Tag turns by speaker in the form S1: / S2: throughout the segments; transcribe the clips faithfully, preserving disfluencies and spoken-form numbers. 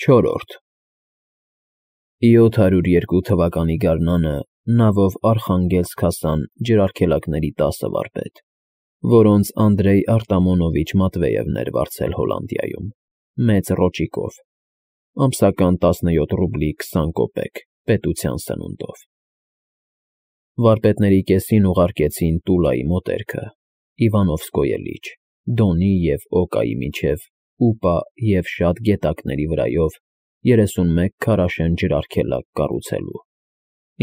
S1: Չորրորդ յոթ հարյուր երկու թվականի գարնանը նավով Արխանգելսկ հասան ջրարգելակների տասը վարպետ, որոնց Անդրեյ Արտամոնովիչ Մատվեևն էր վարձել Հոլանդիայում, մեծ ռոճիկով, ամսական տասնյոթ ռուբլի քսան կոպեկ պետության սնունդով։ Վարպետների կեսին ուղարկեցին Տուլայի մոտերքը, Իվանովսկոյե լիճ, Դոնի և Օկայի միջև Ուպա և շատ գետակների վրայով երեսունմեկ քարաշեն ջրարգելակ կառուցելու,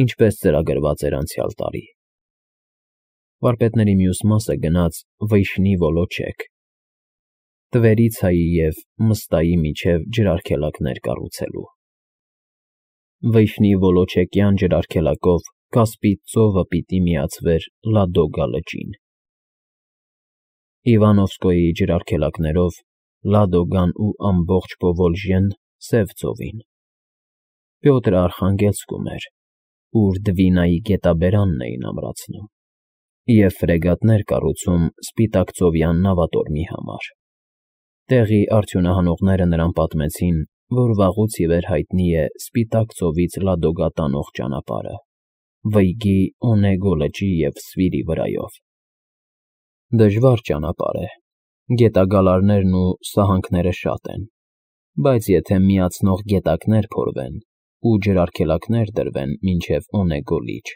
S1: ինչպես ծրագրված էր անցյալ տարի։ Վարպետների մյուս մասը գնաց Վիշնի Վոլոչեկ, Տվերիցայի և Մստայի միջև ջրարգելակներ կառուցելու։ Վիշնի Վոլոչեկյան ջրարգելակով Կասպից ծովը պիտի միացվեր Լադոգա լճին։ Իվանովսկոյի ջրարգելակներով Լադոգան ու ամբողջ Պովոլժյեն Սև ծովին։ Պյոտրը Արխանգելսկում էր, ուր Դվինայի գետաբերանն էին ամրացնում, և ֆրեգատներ կառուցում Սպիտակծովյան նավատորմի համար։ Տեղի արդյունահանողները նրան պատմեցին, որ վաղուց ի վեր հայտնի է Սպիտակ ծովից Լադոգա տանող ճանապարհը, Վըյգի, Օնեգո լճի և Սվիրի վրայով։ Դժվար ճանապարհ է, գետագալարներն ու սահանքները շատ են, բայց եթե միացնող գետակներ փորվեն ու ջրարգելակներ դրվեն մինչև Օնեգո լիճ,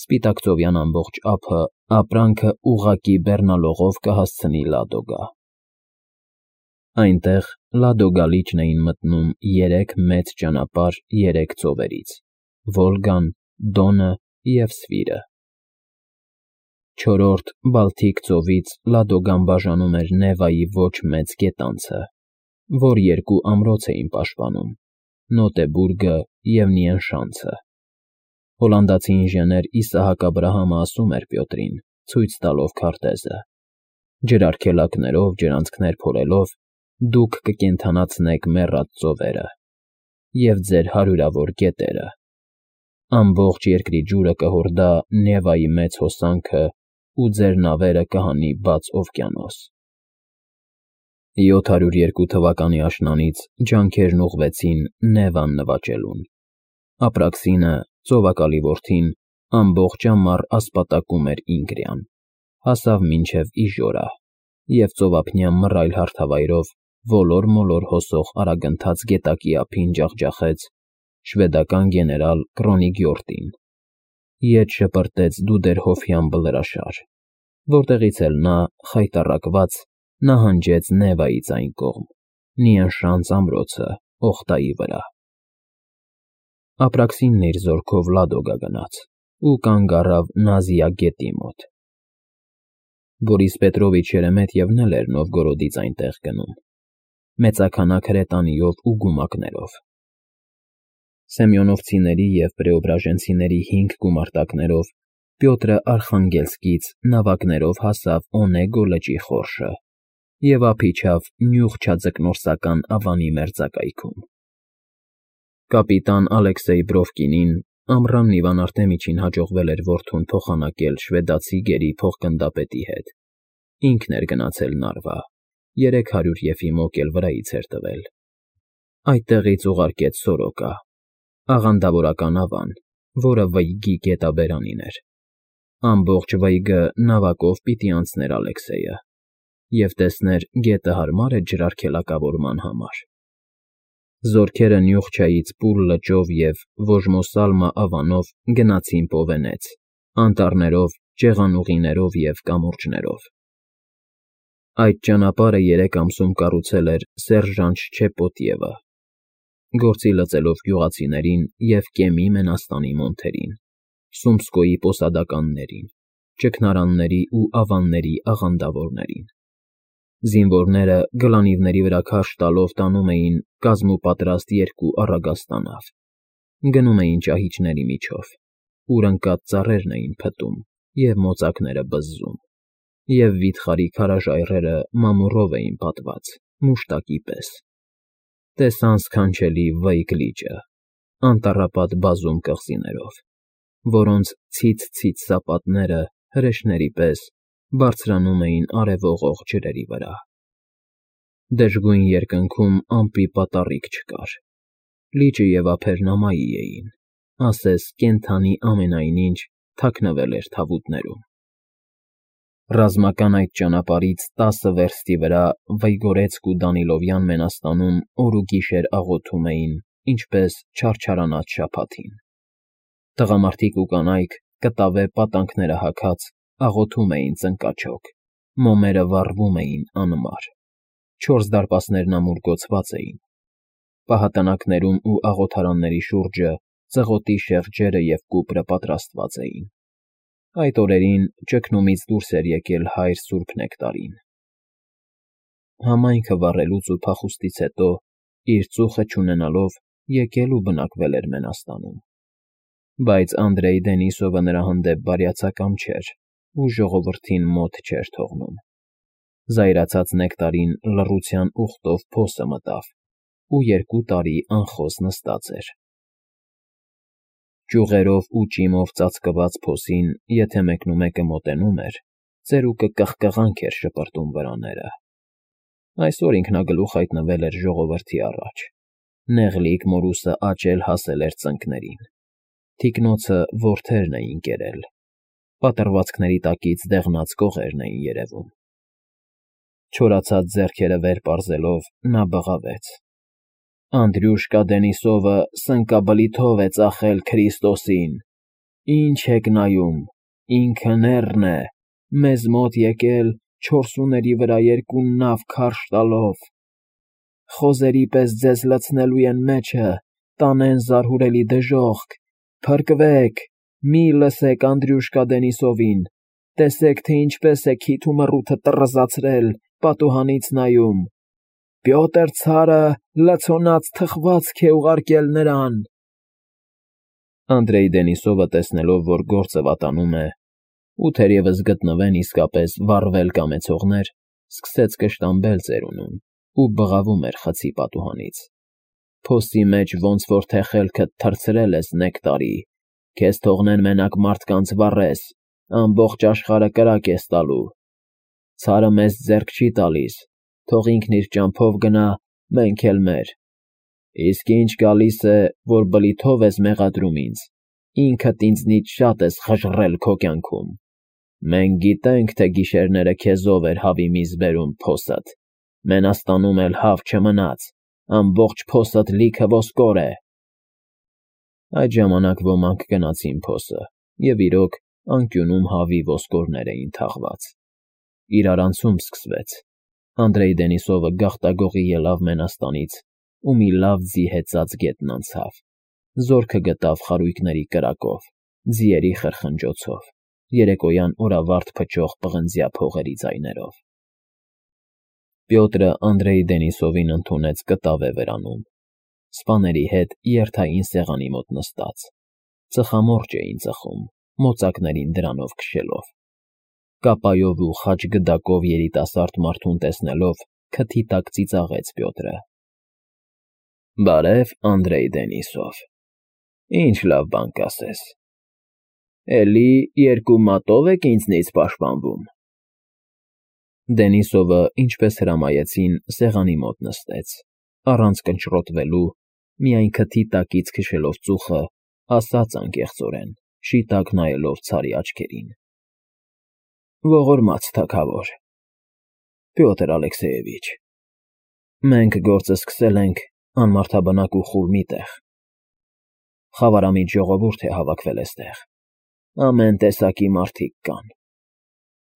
S1: Սպիտակծովյան ամբողջ ափը ապրանքը ուղղակի բեռնալողով կհասցնի Լադոգա։ Այնտեղ Լադոգա լիճն էին մտնում երեք մեծ ճանապարհ երեք ծովերից՝ Վոլգան, Դոնը և Սվիրը։ Չորրորդ Բալթիկ ծովից Լադոգան բաժանում էր Նևայի ոչ մեծ գետանցը, որ երկու ամրոց էին պաշտպանում՝ Նոտեբուրգը և Նիենշանցը։ Հոլանդացի ինժեներ Իսահակ Աբրահամը ասում էր Պյոտրին, ցույց տալով քարտեզը. «Ջրարգելակներով, ջրանցքներ փորելով դուք կկենդանացնեք մեռած ծովերը և ձեր հարյուրավոր գետերը։ Ամբողջ երկրի ջուրը կհորդա Նևայի մեծ հոսանքը ու ձեր նավերը կհանի բաց օվկիանոս»։ Յոթ հարյուր երկու թվականի աշնանից ջանքերն ուղղվեցին Նևան նվաճելուն։ Ապրաքսինը, ծովակալի որդին, ամբողջ ամառ ասպատակում էր Ինգրյան, հասավ մինչև Իժորա և ծովափնյա մռայլ հարթավայրով ոլոր֊մոլոր հոսող արագընթաց գետակի ափին ջախջախեց շվեդական գեներալ Կրոնիգյորտին, ետ շպրտեց Դուդերհոֆյան բլրաշար, որտեղից էլ նա, խայտառակված, նահանջեց Նևայից այն կողմ, Նիենշանց ամրոցը Օխտայի վրա։ Ապրաքսինն իր զորքով Լադոգա գնաց ու կանգ առավ Նազիա գետի մոտ։ Բորիս Պետրովիչ Շերեմետյևն էլ էր Նովգորոդից այնտեղ գնում, մեծաքանակ հրետանիով ու գումակներով։ Սեմյոնովցիների և Պրեոբրաժենցիների հինգ գումարտակներով Պյոտրը Արխանգելսկից նավակներով հասավ Օնեգո լճի խորշը և ափ իջավ նյուղջաձկնորսական Ավանի մերձակայքում։ Կապիտան Ալեքսեյ Բրովկինին ամռանն Իվան Արտեմիչին հաջողվել էր որդուն փոխանակել շվեդացի գերի փոխգնդապետի հետ, ինքն էր գնացել Նարվա, երեք հարյուր եֆիմոկ էլ վրայից էր տվել։ Այդտեղից ուղարկեց Սորոկա, աղանդավորական Ավան, որը Վըյգի գետաբերանին էր։ Ամբողջ Վըյգը նավակով պիտի անցներ Ալեքսեյը և տեսներ գետը հարմա՞ր է ջրարգելակավորման համար։ Զորքերը Նյուղչայից Պուր լճով և Վոժմոսալմա Ավանով գնացին Պովենեց, անտառներով, ջեղանուղիներով և կամուրջներով։ Այդ ճանապարհը երեք ամսում կառուցել էր սերժանտ Շչեպոտիևը, գործի լծելով գյուղացիներին և Կեմի մենաստանի մոնթերին, Սումսկոյի պոսադականներին, ճգնարանների ու ավանների աղանդավորներին։ Զինվորները գլանիվների վրա քարշ տալով տանում էին կազմուպատրաստ երկու առագաստանավ, գնում էին ճահիճների միջով, ուր ընկած ծառերն էին փտում և մոծակները բզզում, և վիթխարի քարաժայռերը մամուռով էին պատված, մուշտակի պես։ Տեսան սքանչելի Վըյգ լիճը, անտառապատ բազում կղզիներով, որոնց ցից֊ցից սապատները, հրեշների պես, բարձրանում էին արևողող ջրերի վրա։ Դժգույն երկնքում ամպի պատառիկ չկար, լիճը և ափերն ամայի էին, ասես կենդանի ամենայն ինչ թաքնվել էր թավուտներում։ Ռազմական այդ ճանապարհից տասը վերստի վրա Վիգորեցկ ու Դանիլովյան մենաստանում օր ու գիշեր աղոթում էին, ինչպես չարչարանած շաբաթին։ Տղամարդիկ ու կանայք, կտավե պատանքները հագած, աղոթում էին ծնկաչոք, մոմերը վառվում էին անմար, չորս դարպասներն ամուր գոցված էին, պահատանակներում ու աղոթարանների շուրջը ծղոտի շեղջերը և կուպրը պատրաստված էին։ Այդ օրերին ճգնումից դուրս էր եկել հայր Սուրբ Նեկտարին։ Համայնքը վառելուց ու փախուստից հետո, իր ծուխը չունենալով, եկել ու բնակվել էր մենաստանում։ Բայց Անդրեյ Դենիսովը նրա հանդեպ բարյացակամ չէր ու ժողովրդին մոտ չէր թողնում։ Զայրացած Նեկտարին լռության ուխտով փոսը մտավ ու երկու տարի անխոս նստած էր։ Ճյուղերով ու ճիմով ծածկված փոսին եթե մեկնումեկը մոտենում էր, ծերուկը կղկղանք էր շպրտում վրաները։ Այսօր ինքնագլուխ հայտնվել էր ժողովրդի առաջ, նեղլիկ մորուսը աճել հասել էր ծնկներին, թիկնոցը որդերն էին կերել, պատռվածքների տակից դեղնած կողերն էին երևում։ Չորացած ձեռքերը վեր պարզելով նա բղավեց. «Անդրյուշկա Դենիսովը սնկաբլիթով է ծախել Քրիստոսին, ինչ եք նայում, ինքը նեռն է, մեզ մոտ եկել չորսուների վրա երկու նավ քարշ տալով, խոզերի պես ձեզ լցնելու են մեջը, տանեն զարհուրելի դժոխք, փրկվեք, մի լսեք Անդրյուշկա Դենիսովին, տեսեք, թե ինչպես է քիթ ու մռութը տռզացրել, պատուհանից նայում, Պյոտր ցարը լցոնած թխվածք է ուղարկել նրան»։ Անդրեյ Դենիսովը, տեսնելով, որ գործը վատանում է, ու թերևս գտնվեն իսկապես վառվել կամեցողներ, սկսեց կշտամբել ծերունուն ու բղավում էր խցի պատուհանից. «Փոսի մեջ ոնց որ թե խելքդ թռցրել ես, Նեկտարի, քեզ թողնեն մենակ մարդկանց վառես, ամբողջ աշխարհը կրակ ես տալու, ցարը մեզ ձեռք չի տալիս, թող ինքն իր ճամփով գնա, մենք էլ մեր, իսկ ինչ գալիս է, որ բլիթով ես մեղադրում ինձ, ինքդ ինձնից շատ ես խժռել քո կյանքում, մենք գիտենք, թե գիշերները քեզով էր հավի միս բերում փոսդ, մենաստանում էլ հավ չմնաց, ամբողջ փոսդ լիքը ոսկոր է»։ Այդ ժամանակ ոմանք գնացին փոսը, և իրոք, անկյունում հավի ոսկորներ էին թաղված։ Իրարանցում սկսվեց։ Անդրեյ Դենիսովը գաղտագողի ելավ մենաստանից ու մի լավ ձի հեծած գետնին անցավ, զորքը գտավ խարույկների կրակով, ձիերի խրխնջոցով, երեկոյան օրավարտ փչող պղնձյա փողերի ձայներով։ Պյոտրը Անդրեյ Դենիսովին ընդունեց կտավե վրանում, սպաների հետ երթային սեղանի մոտ նստած, ծխամորճ էին ծխում, մոծակներին դրանով քշելով։ Կապայով ու խաչգդակով երիտասարդ մարդուն տեսնելով, քթի տակ ծիծաղեց Պյոտրը. «Բարև, Անդրեյ Դենիսով, ինչ լավ բան կասես, էլի երկու մատով եք ինձնից պաշտպանվում»։ Դենիսովը, ինչպես հրամայեցին, սեղանի մոտ նստեց, առանց կնճռոտվելու, միայն քթի տակից քշելով ծուխը, ասաց անկեղծորեն, շիտակ նայելով ցարի աչքերին. «Ողորմած թագավոր, Պյոտր Ալեքսեևիչ, մենք գործը սկսել ենք անմարդաբնակ ու խուլ մի տեղ, խավարամիտ ժողովուրդ է հավաքվել էստեղ, ամեն տեսակի մարդիկ կան,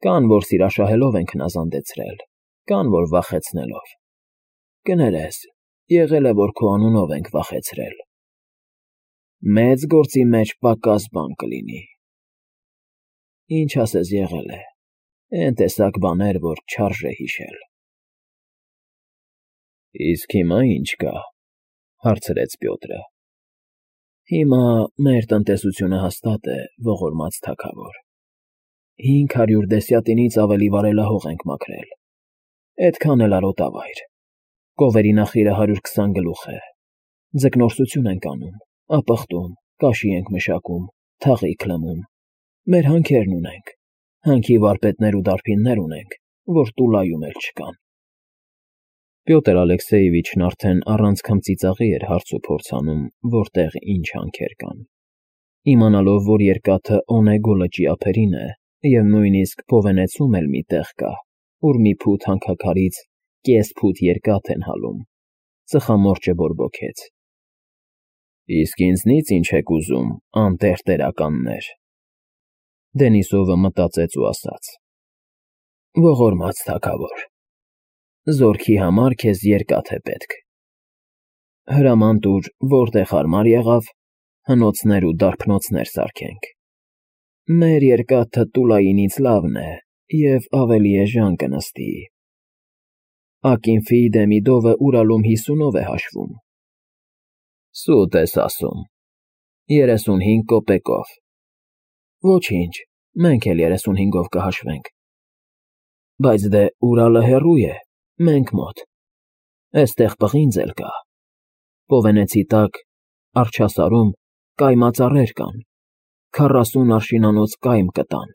S1: կան, որ սիրաշահելով են քնազանդեցրել, կան, որ վախեցնելով, կներես, եղել է, որ քո անունով ենք վախեցրել, մեծ գործի մեջ պակաս բան կլինի, ինչ ասես եղել է, էն տեսակ բաներ, որ չարժե հիշել»։ «Իսկ հիմա ի՞նչ կա», հարցրեց Պյոտրը։ «Հիմա մեր տնտեսությունը հաստատ է, ողորմած թագավոր, հինգ հարյուր դեսյատինից ավելի վարելահող ենք մաքրել, էդքան էլ արոտավայր, կովերի նախիրը հարյուր քսան գլուխ է, ձկնորսություն ենք անում, ապխտում, կաշի ենք մշակում, թաղիկ լմում, մեր հանքերն ունենք, հանքի վարպետներ ու դարբիններ ունենք, որ Տուլայում էլ չկան»։ Պյոտր Ալեքսեևիչն արդեն առանց քմծիծաղի էր հարց ու փորձանում, որտեղ ինչ հանքեր կան, իմանալով, որ երկաթը Օնեգո լճի ափերին է, և նույնիսկ Պովենեցում էլ մի տեղ կա, ուր մի փութ հանքաքարից կես ֆուտ երկաթ են հալում, ծխամորճը բորբոքեց։ Իսկ ինձնից ինչ եք ուզում, անտերտերականներ, Դենիսովը մտածեց ու ասաց. Ողորմած թագավոր, զորքի համար քեզ երկաթ է պետք։ Հրաման տուր, որտեղ հարմար եղավ, հնոցներ ու դարբնոցներ սարքենք։ Մեր երկաթը Տուլայինից լավն է և ավելի էժան կնստի։ Ակինֆի Դեմիդովը Ուրալում հիսունով է հաշվում։ Սուտ ես ասում, երեսունհինգ կոպեկով։ Ոչինչ, մենք էլ երեսունհինգով կհաշվենք։ Բայց դե Ուրալը հեռու է, մենք մոտ, էստեղ պղինձ էլ կա, Պովենեցի տակ, առջասարում կայմա ծառեր կան, քառասուն արշինանոց կայմ կտան,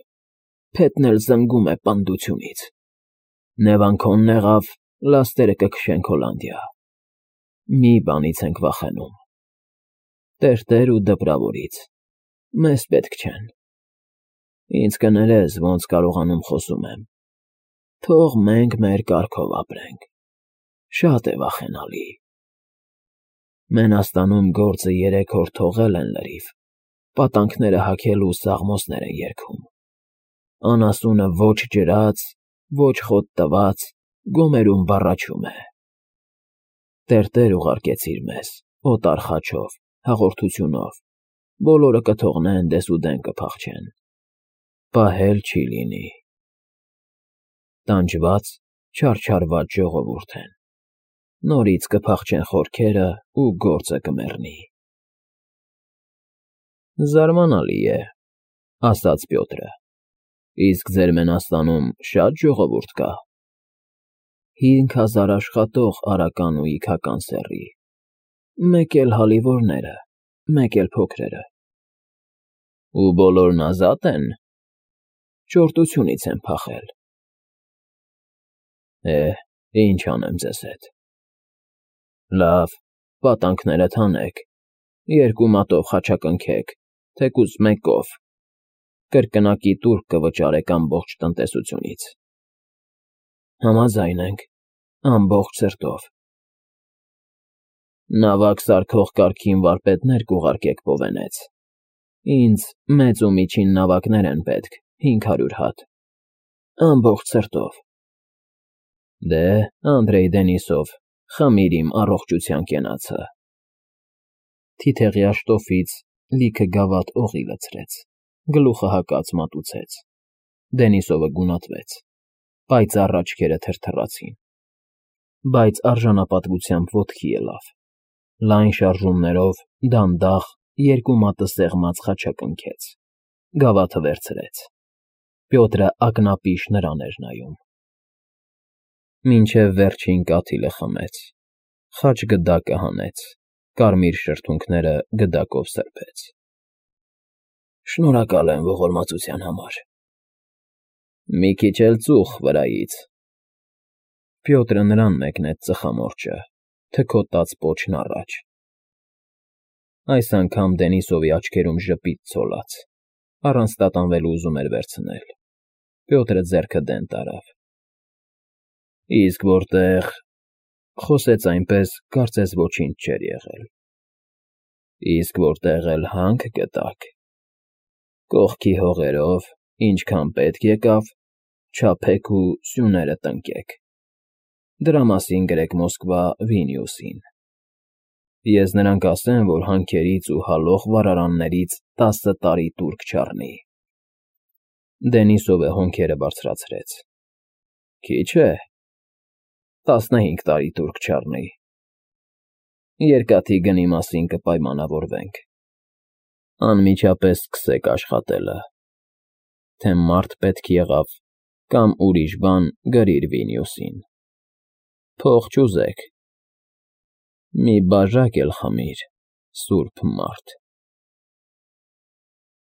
S1: փետն էլ զնգում է պնդությունից, Նևանքոնն եղավ, լաստերը կքշենք Հոլանդիա, մի բանից ենք վախենում, տերտեր ու դպրավորից, մեզ պետք չեն, ինձ կներես, ոնց կարողանում խոսում եմ, թող մենք մեր կարգով ապրենք, շատ է վախենալի։ Մենաստանում գործը երեք օր թողել են լրիվ, պատանքները հագել ու սաղմոսներ են երգում, անասունը ոչ ջրած, ոչ խոտ տված, գոմերում բառաչում է։ Տերտեր ուղարկեցիր մեզ, օտար խաչով, հաղորդությունով, բոլորը կթողնեն, դեսուդեն կփախչեն, պահել չի լինի։ Տանջված, չարչարված ժողովուրդ են, նորից կփախչեն խորքերը ու գործը կմեռնի։ Զարմանալի է, ասաց Պյոտրը, իսկ ձեր Մենաստանում շատ ժողովուրդ կա։ Հինգ հազար աշխատող արական ու իգական սեռի, մեկ էլ հալիվորները, մեկ էլ փոքրերը։ Ու բոլորն ազատ են։ Ճորտությունից են փախել։ Է, ինչ անեմ ձեզ հետ։ Լավ, պատանքներդ հանեք, երկու մատով խաչակնքեք, թեկուզ մեկով, կրկնակի տուրք կվճարեք ամբողջ տնտեսությունից։ Համաձայն ենք, ամբողջ սրտով։ Նավակ սարքող կարգին վարպետներ կուղարկեք Պովենեց։ Ինձ մեծ ու միջին նավակներ են պետք, հինգ հարյուր հատ, ամբողջ սրտով։ Դե, Անդրեյ Դենիսով, խմիր իմ առողջության կենացը։ Թիթեղի աշտոֆից լիքը գավաթ օղի լցրեց, գլուխը հակած մատուցեց։ Դենիսովը գունատվեց, պայծառ աչքերը թրթռացին, բայց արժանապատվությամբ ոտքի ելավ, լայն շարժումներով, դանդաղ, երկու մատը սեղմած խաչակնքեց, գավաթը վերցրեց։ Պյոտրը ակնապիշ նրան էր նայում։ Մինչև վերջին կաթիլը խմեց, խաչ գդակը հանեց, կարմիր շրթունքները գդակով սրբեց։ Շնորհակալ եմ ողորմածության համար։ Մի քիչ էլ ծուխ վրայից։ Պյոտրը նրան մեկնեց ծխամորճը, թքոտած պոչն առաջ։ Այս անգամ Դենիսովի աչքերում ժպիտ ցոլած, առանց տատանվելու ուզում էր վերցնել։ Պյոտրը ձեռքը դեն տարավ։ Իսկ որտեղ, խոսեց այնպես, կարծես ոչինչ չէր եղել։ Իսկ որտեղ էլ հանք գտաք, կողքի հողերով, ինչքան պետք եկավ, չափեք ու սյուները տնկեք։ Դրա մասին գրեք Մոսկվա Վիլնյուսին։ Ես նրան կասեմ, որ հանքերից ու հալող վառարաններից տասը տարի տուրք չառնի։ Դենիսովը հոնքերը բարձրացրեց։ Քիչ է։ Տասնհինգ տարի տուրք չառնի։ Երկաթի գնի մասին կպայմանավորվենք։ Անմիջապես սկսեք աշխատելը։ Թե մարդ պետք եղավ, կամ ուրիշ բան գրիր Վիլնյուսին։ Փող չուզեք։ Մի բաժակ էլ խմիր, սուրբ մարդ։